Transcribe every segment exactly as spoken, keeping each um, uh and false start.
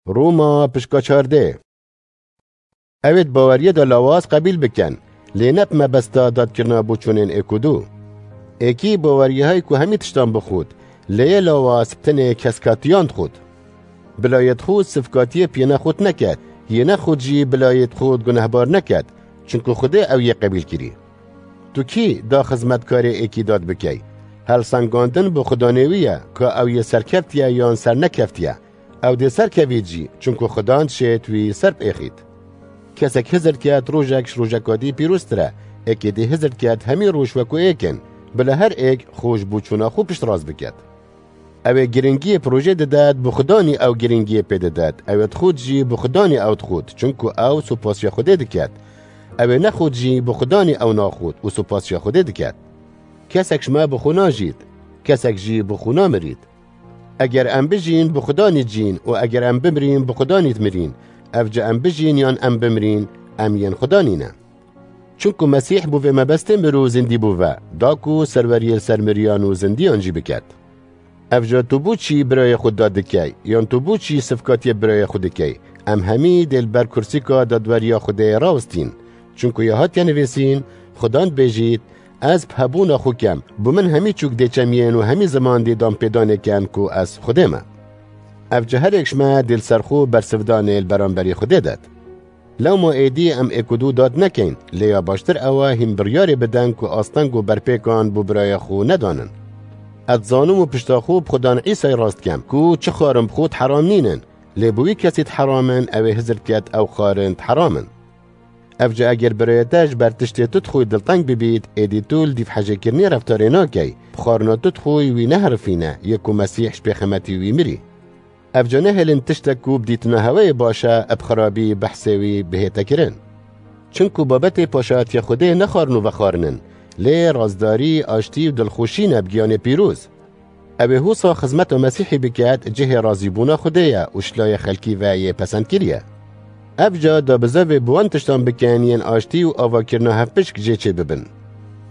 Roma pişka çardeh. Ew ê di baweriyê de lawaz qebîl bikin, lê ne bi mebesta dadkirina boçûnên êk û du. Êkî baweriyehayî ku hemî tiştan bixwit, lê yê lawaz bi tenê keskatiyan dixwit. Bila yê dixwit sifkatiyê piyê nexwit neket, yê nexwit jî bila yê dixwit gunehbar neket, çinku Xwedê ew yê qebîl kirî. Tu kî da xizmetkarê êkî dad bikey? Helsengandin bi xudanê wî ye, ka ew yê serkeftiye yan sernekeftiye. Ew dê serkevît jî, çunku Xudan dişêt wî ser biêxît. Kesek hizir ket, rojek ji rojeka dî pîroztir e. Êkê dê hizir ket, hemî roj wekû êk in. Bila her êk xwe ji boçûna xwe piştrast biket. Ew ê giringiyê projê didet, bi Xudanî ew giringiyê pê didet. Ew ê dixwit jî, bi Xudanî ew dixwit, çunku ew supasiya Xwedê diket. Ew ê nexwit jî, bi Xudanî ew naxwit û supasiya Xwedê diket. Kesek ji me bi xwe najît, kesek jî bi xwe namirît. Eger em bijîn, bi Xudanî dijîn û eger em bimirîn, bi Xudanî dimirîn. Evca em bijîn yan em bimirîn, em yên Xudanî ne. Çunku Mesîh bo vê mebestê mir û zindî bû ve, da ku serweriyê li ser miriyan û zindiyan jî biket. Evca tu bo çî birayê xwe dad dikey, yan tu bo çî sifkatiyê birayê xwe dikey? Em hemî dê li ber kursîka dadweriya Xwedê rawestîn. Çunku ya hatiye nivîsîn, Xudan dibêjît, Ez bi hebûna xwe kem, bo min hemî çûk dê çemiyên û hemî ziman dê danpêdanê ken ku ez Xwedê me. Evca her êk ji me dê li ser xwe bersivdanê li beramberî Xwedê det. Lewma êdî em êk û du dad nekeyn, lê ya baştir ew e hîn biryarê bidin ku asteng û berpêkan bo birayê xwe nedanin. Ez dizanim û pişta xwe bi Xudan Îsayê rast dikem ku çi xwarin bi xwe di heram nînin, lê bi wî kesî di heram in, ew ê hizir ket ew xwarin di heram in. Evca eger birayê te ji ber tiştê tu dixwî dilteng bibît, êdî tu li dîv hejêkirinê reftarê nakey, bi xwarina tu dixwî wî neherifîne, yê ku Mesîh ji pêxemetî wî mirî. Evca nehêlin tiştek ku bi dîtina heweyê baş e, bi xirabî behsê wî bihête kirin. Çinku babetê paşayetiya Xwedê ne xwarin û vexwarin in, lê razdarî, aştî û dilxweşî ne bi giyanê pîroz. Ew ê husa xizmeta Mesîhî biket, cihê razîbûna Xwedê ye û ji layê xelkî ve yê pesend kiriye. Evca da bizevê bi wan tiştan bikin yên aştî û avakirina hevpişk jê çêbibin.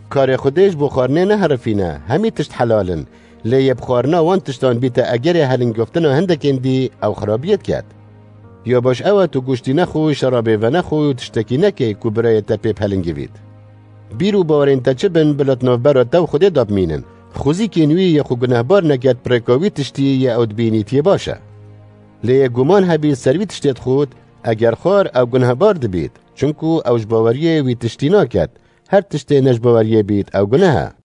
Karê Xwedê ji bo xwarinê neherifîne, hemî tişt helal in, lê yê bi xwarina wan tiştan bîte egerê helingoftina hindekên dî, ew xirabiyê diket. Ya baş ew e tu goştî nexwî, şerabê venexwî û tiştekî nekey ku birayê te pê bihilingivît. Bîr û bawerên te çi bin, bila di navbera te û Xwedê de bimînin. Xwezîkên wî yê xwe gunehbar neket, bi rêka wî tiştî yê ew dibînît yê baş e. Lê yê guman hebît ser wî tiştê dixwit, eger xwar ew gunehbar dibît, çunku ew ji baweriyê wî tiştî naket. Her tiştê ne ji baweriyê bît, ew guneh e.